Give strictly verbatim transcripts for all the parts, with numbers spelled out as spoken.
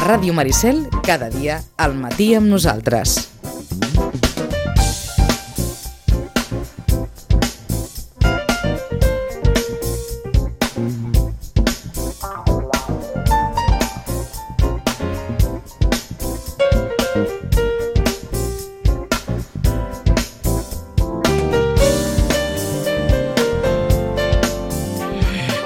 Ràdio Maricel, cada dia al matí amb nosaltres.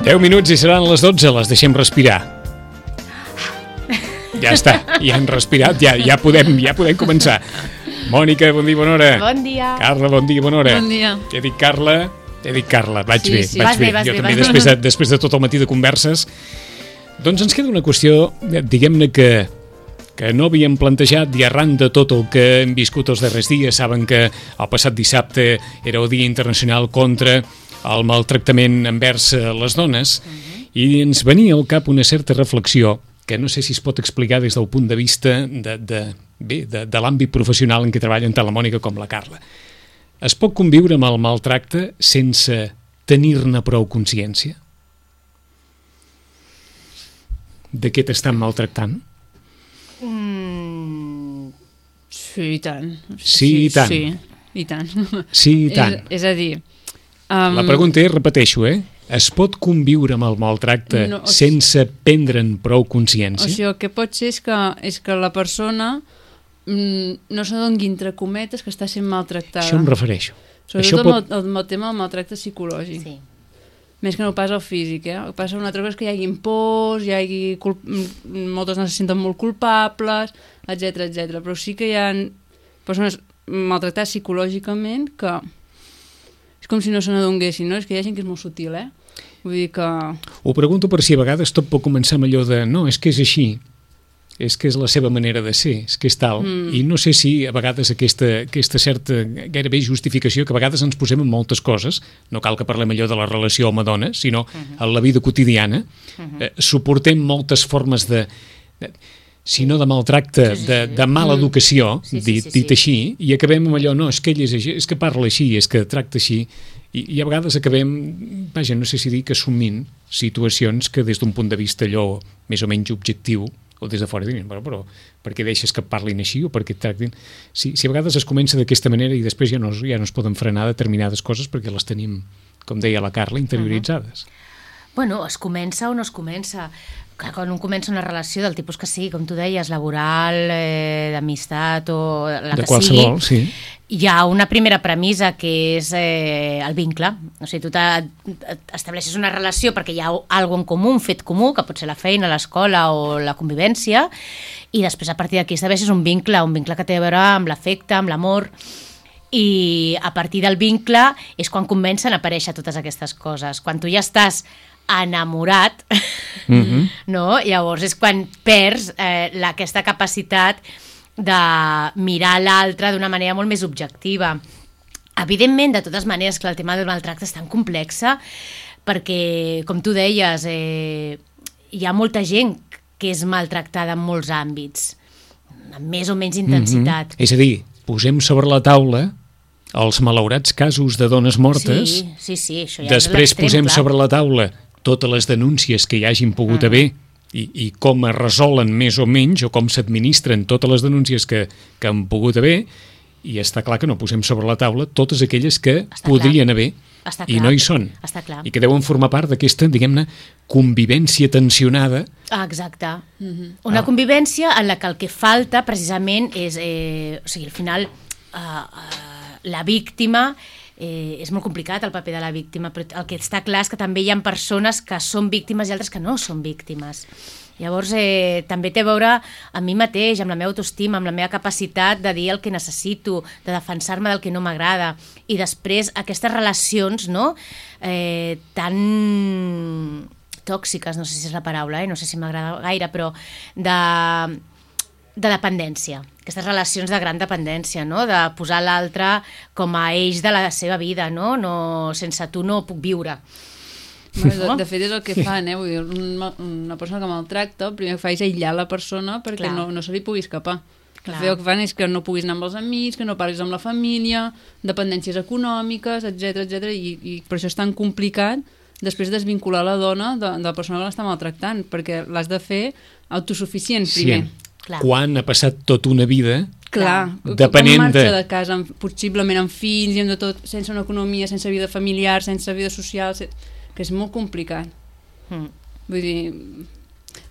deu minuts i seran les dotze, les deixem respirar. Ja està, ja hem respirat, ja, ja, podem, ja podem començar. Mònica, bon dia, bona hora. Bon dia. Carla, bon dia, bona hora. Bon dia. He dit Carla, he dit Carla, vaig sí, bé, sí. vaig Vas bé. bé, vas jo bé, també, vas després de, després de tot el matí de converses. Doncs ens queda una qüestió, diguem-ne que, que no havíem plantejat i arran de tot el que hem viscut els darrers dies. Saben que el passat dissabte era el Dia Internacional contra el maltractament envers les dones, uh-huh. i ens venia al cap una certa reflexió que no sé si es pot explicar des del punt de vista de, de, bé, de, de l'àmbit professional en què treballen tant la Mònica com la Carla. Es pot conviure amb el maltracte sense tenir-ne prou consciència? De què t'estan maltractant? Mm, sí, i tant. Sí, i tant. Sí, i tant. Sí, i tant. És, és a dir... Um, la pregunta és, repeteixo, eh? Es pot conviure amb el maltracte no, o sigui, sense prendre'n prou consciència? O sigui, el que pot ser és que, és que la persona mm, no s'adongui entre cometes que està sent maltractada. Això em refereixo. Sobretot Això amb, pot... el, amb el tema del maltracte psicològic. Sí. Més que no pas el físic, eh? El que passa una altra cosa és que hi hagi pors, hi hagi culp... moltes no se senten molt culpables, etcètera, etcètera. Però sí que hi ha persones maltractades psicològicament que... És com si no se n'adonguessin, no? És que hi ha gent que és molt sutil, eh? Vull dir que... Ho pregunto per si a vegades tot pot començar amb allò de no, és que és així, és que és la seva manera de ser, és que és tal. Mm. I no sé si a vegades aquesta, aquesta certa gairebé justificació, que a vegades ens posem en moltes coses, no cal que parlem allò de la relació home-dona, sinó uh-huh. en la vida quotidiana, uh-huh. eh, suportem moltes formes de... de si no de maltracte, sí, sí, sí. De, de mala educació, sí, sí, dit, sí, sí. dit així, i acabem amb allò, no, és que ell és així, és que parla així, és que tracta així, i, i a vegades acabem, vaja, no sé si dir que assumint situacions que des d'un punt de vista allò més o menys objectiu, o des de fora diuen, però, però per què deixes que parlin així, o per què tractin... Si, si a vegades es comença d'aquesta manera i després ja no, ja no es poden frenar determinades coses perquè les tenim, com deia la Carla, interioritzades. Uh-huh. Bueno, es comença o no es comença. Clar, quan un comença una relació del tipus que sigui, com tu deies, laboral, eh, d'amistat o la de que qualsevol, sigui, sí. hi ha una primera premissa que és eh, el vincle. O sigui, tu estableixes una relació perquè hi ha alguna en comú, un fet comú, que pot ser la feina, l'escola o la convivència, i després a partir d'aquí estableixes un vincle, un vincle que té a veure amb l'afecte, amb l'amor, i a partir del vincle és quan comencen a aparèixer totes aquestes coses. Quan tu ja estàs enamorat, mm-hmm. no? Llavors és quan perds eh, la, aquesta capacitat de mirar l'altre d'una manera molt més objectiva. Evidentment, de totes maneres, que el tema del maltracte és tan complexa perquè, com tu deies, eh, hi ha molta gent que és maltractada en molts àmbits, amb més o menys intensitat. Mm-hmm. És a dir, posem sobre la taula els malaurats casos de dones mortes, sí, sí, sí, això ja després és posem clar. sobre la taula totes les denúncies que hi hagin pogut uh-huh. haver i, i com es resolen més o menys o com s'administren totes les denúncies que, que han pogut haver, i està clar que no posem sobre la taula totes aquelles que està podrien clar. haver està i clar. no hi són, està clar. i que deuen formar part d'aquesta, diguem-ne, convivència tensionada. Ah, exacte. Uh-huh. Una ah. convivència en la que el que falta precisament és, eh, o sigui, al final uh, uh, la víctima... Eh, és molt complicat el paper de la víctima, però el que està clar és que també hi ha persones que són víctimes i altres que no són víctimes. Llavors eh, també té a veure amb mi mateix, amb la meva autoestima, amb la meva capacitat de dir el que necessito, de defensar-me del que no m'agrada, i després aquestes relacions, no?, eh, tan tòxiques, no sé si és la paraula, eh? No sé si m'agrada gaire, però de... de dependència, aquestes relacions de gran dependència, no? De posar l'altre com a eix de la seva vida, no? No, sense tu no puc viure. Bueno, de, de fet és el que fan, eh? Vull dir, una, una persona que maltracta, el primer que fa és aïllar la persona perquè no, no se li pugui escapar. Clar. El que fan és que no puguis anar amb els amics, que no parlis amb la família, dependències econòmiques, etcètera, etcètera, i, i per això és tan complicat després desvincular la dona de, de la persona que l'està maltractant, perquè l'has de fer autosuficient primer. Sí. Quan ha passat tota una vida... Clar, depenent com marxa de... de casa, amb, possiblement amb fills i amb de tot, sense una economia, sense vida familiar, sense vida social, sense... que és molt complicat. Mm. Vull dir...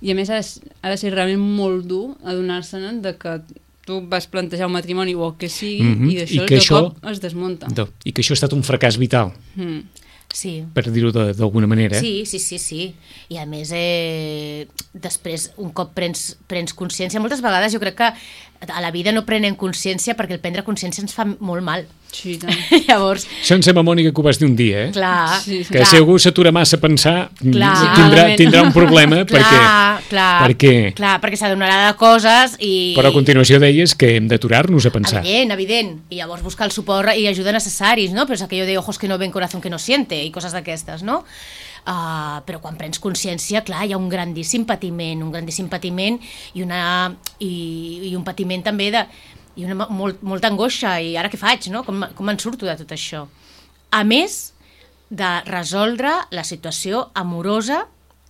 I a més ha de, ha de ser realment molt dur adonar-se'n de que tu vas plantejar un matrimoni o el que sigui mm-hmm. i d'això de això, cop es desmunta. Do, I que això ha estat un fracàs vital. Mm. Sí. Per dir-ho d'alguna manera. Sí, sí, sí, sí. I a més, eh, després, un cop prens, prens consciència, moltes vegades jo crec que a la vida no prenem consciència perquè el prendre consciència ens fa molt mal. Sí, tant. Llavors... Això em sembla, Mònica, que ho vas dir un dia, eh? Clar. Sí, sí. Que clar. si algú s'atura massa a pensar, clar. tindrà, tindrà un problema clar, perquè... Clar, perquè... clar, perquè s'adonarà de coses i... Però a continuació deies que hem d'aturar-nos a pensar. Evident, evident. I llavors buscar el suport i ajuda necessaris, no? Però és aquello de ojos que no ven, corazón que no siente i coses d'aquestes, no? Uh, però quan prens consciència, clar, hi ha un grandíssim patiment, un grandíssim patiment i, una, i, i un patiment també de... i una molt, molta angoixa, i ara què faig, no? Com, com en surto de tot això? A més de resoldre la situació amorosa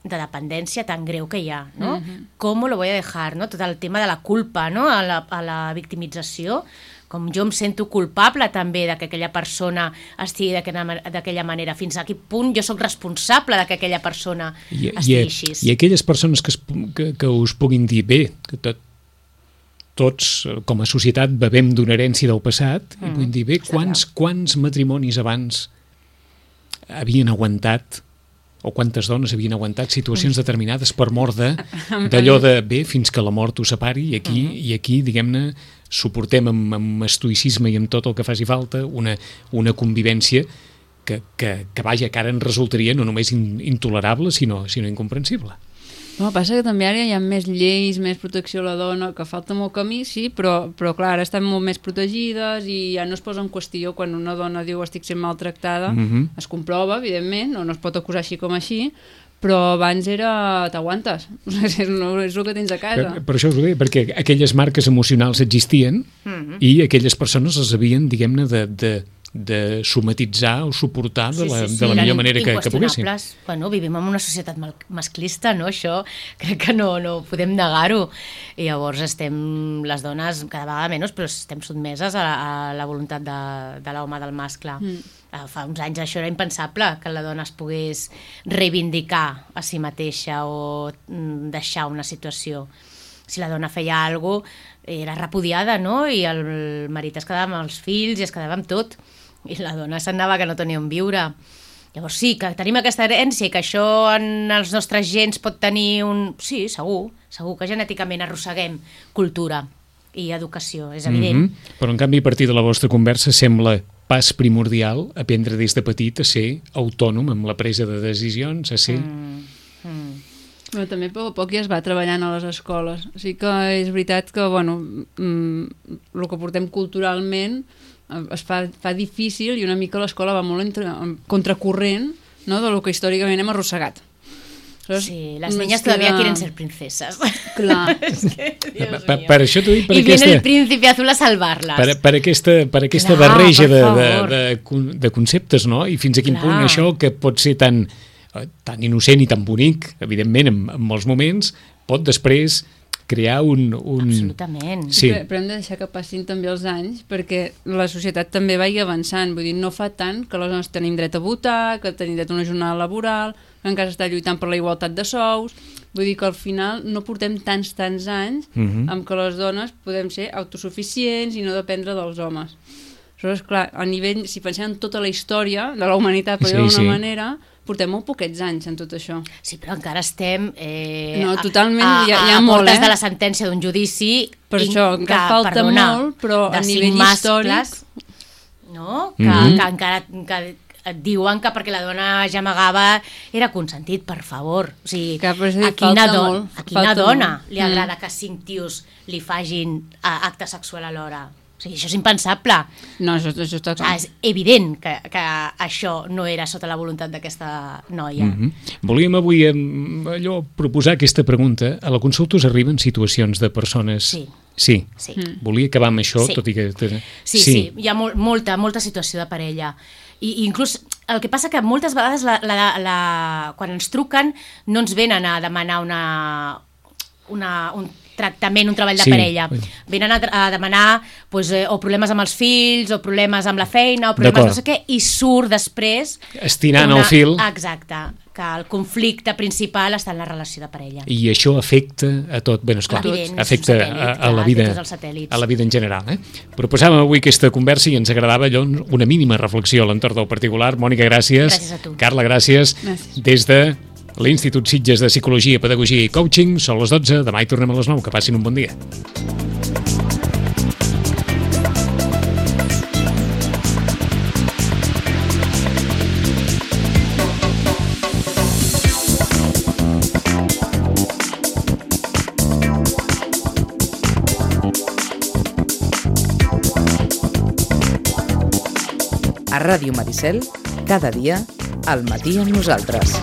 de dependència tan greu que hi ha, no? Mm-hmm. Com lo voy a dejar, no? Tot el tema de la culpa, no? A la, a la victimització, com jo em sento culpable també de que aquella persona estigui d'aquella manera, fins a quin punt jo sóc responsable de que aquella persona I, estigui i, així. I aquelles persones que, es, que, que us puguin dir, bé, que tot, tots com a societat bevem d'una herència del passat, mm, i vull dir, bé, quants, quants matrimonis abans havien aguantat, o quantes dones havien aguantat situacions mm. determinades per mort d'allò de, bé, fins que la mort ho separi, i aquí, mm. i aquí diguem-ne, suportem amb, amb estoïcisme i amb tot el que faci falta una, una convivència que, que, que vaja, que ara en resultaria no només in, intolerable, sinó, sinó incomprensible. No, passa que també ara hi ha més lleis, més protecció a la dona, que falta molt camí, sí, però, però clar, ara estan molt més protegides i ja no es posa en qüestió quan una dona diu estic sent maltractada, mm-hmm. es comprova, evidentment, no, no es pot acusar així com així, però abans era t'aguantes, és el que tens a casa. Per, per això us ho deia, perquè aquelles marques emocionals existien mm-hmm. i aquelles persones les havien, diguem-ne, de... de de somatitzar o suportar de la, sí, sí, sí. de la millor manera que, que poguessin. Bueno, vivim en una societat masclista, no? Això crec que no, no podem negar-ho. I llavors estem, les dones, cada vegada menys, però estem sotmeses a, a la voluntat de, de l'home, del mascle. Mm. Fa uns anys això era impensable, que la dona es pogués reivindicar a si mateixa o deixar una situació. Si la dona feia alguna cosa, era repudiada, no? I el marit es quedava amb els fills i es quedava amb tot. I la dona s'anava que no tenia on viure. Llavors sí, que tenim aquesta herència i que això en els nostres gens pot tenir un... Sí, segur, segur que genèticament arrosseguem cultura i educació, és evident. Mm-hmm. Però en canvi, a partir de la vostra conversa, sembla pas primordial aprendre des de petit a ser autònom amb la presa de decisions, a ser... Mm. Mm. Però també a poc a poc ja es va treballant a les escoles. O sigui que és veritat que, bueno, mm, el que portem culturalment es fa, fa difícil i una mica l'escola va molt entre, contracorrent, no?, de lo que històricament hem arrossegat. ¿Sabes? Sí, las niñas todavía queda... quieren ser princesas. Clar. Es que, Dios per, per això t'ho dic, per I aquesta... viene el príncipe azul a salvarlas. Per, per aquesta, per aquesta Clar, barreja de, de, de, de conceptes, no? I fins a quin Clar. punt això, que pot ser tan, tan innocent i tan bonic, evidentment, en, en molts moments, pot després crear un... un... Absolutament. Sí. Però, però hem de deixar que passin també els anys perquè la societat també vagi avançant. Vull dir, no fa tant que les dones tenim dret a votar, que tenim dret a una jornada laboral, que encara està lluitant per la igualtat de sous. Vull dir que al final no portem tants, tants anys uh-huh. amb que les dones podem ser autosuficients i no dependre dels homes. Aleshores, clar, a nivell, si pensem en tota la història de la humanitat, per dir-ho d'una sí, sí. manera, portem molt poquets anys en tot això. Sí, però encara estem eh, no, totalment, a, a, hi ha, hi ha a molt, portes eh? de la sentència d'un judici. Per això, encara que, falta perdona, molt, però a nivell històric... No? Que, mm-hmm. que encara... Que, et diuen que perquè la dona gemegava era consentit, per favor. O sigui, que, dir, a quina, do molt, a quina dona molt. li agrada mm. que cinc tios li fagin uh, acte sexual alhora? O sigui, això és impensable. No, això, això està clar. Ah, és evident que, que això no era sota la voluntat d'aquesta noia. Mm-hmm. Volíem avui allò proposar aquesta pregunta. A la consulta us arriben situacions de persones... Sí. Sí. sí. Mm. Volia acabar amb això, sí. tot i que... Sí, sí, sí. Hi ha molt, molta, molta situació de parella. I inclús el que passa que moltes vegades la, la, la, quan ens truquen no ens venen a demanar una, una, un tractament, un treball de sí. parella. Venen a, a demanar pues, eh, o problemes amb els fills, o problemes amb la feina, o problemes no sé què, i surt després... Estirant el fil. Exacte, que el conflicte principal està en la relació de parella. I això afecta a tot, bé, esclar, Evident, afecta satèl·lit, a, a, la vida, a la vida en general. Eh? Proposàvem avui aquesta conversa i ens agradava allò, una mínima reflexió a l'entorn del particular. Mònica, gràcies. Gràcies a tu. Carla, gràcies. Gràcies. Des de l'Institut Sitges de Psicologia, Pedagogia i Coaching. Són les dotze, demà hi tornem a les nou. Que passin un bon dia. A Ràdio Maricel, cada dia, al matí amb nosaltres.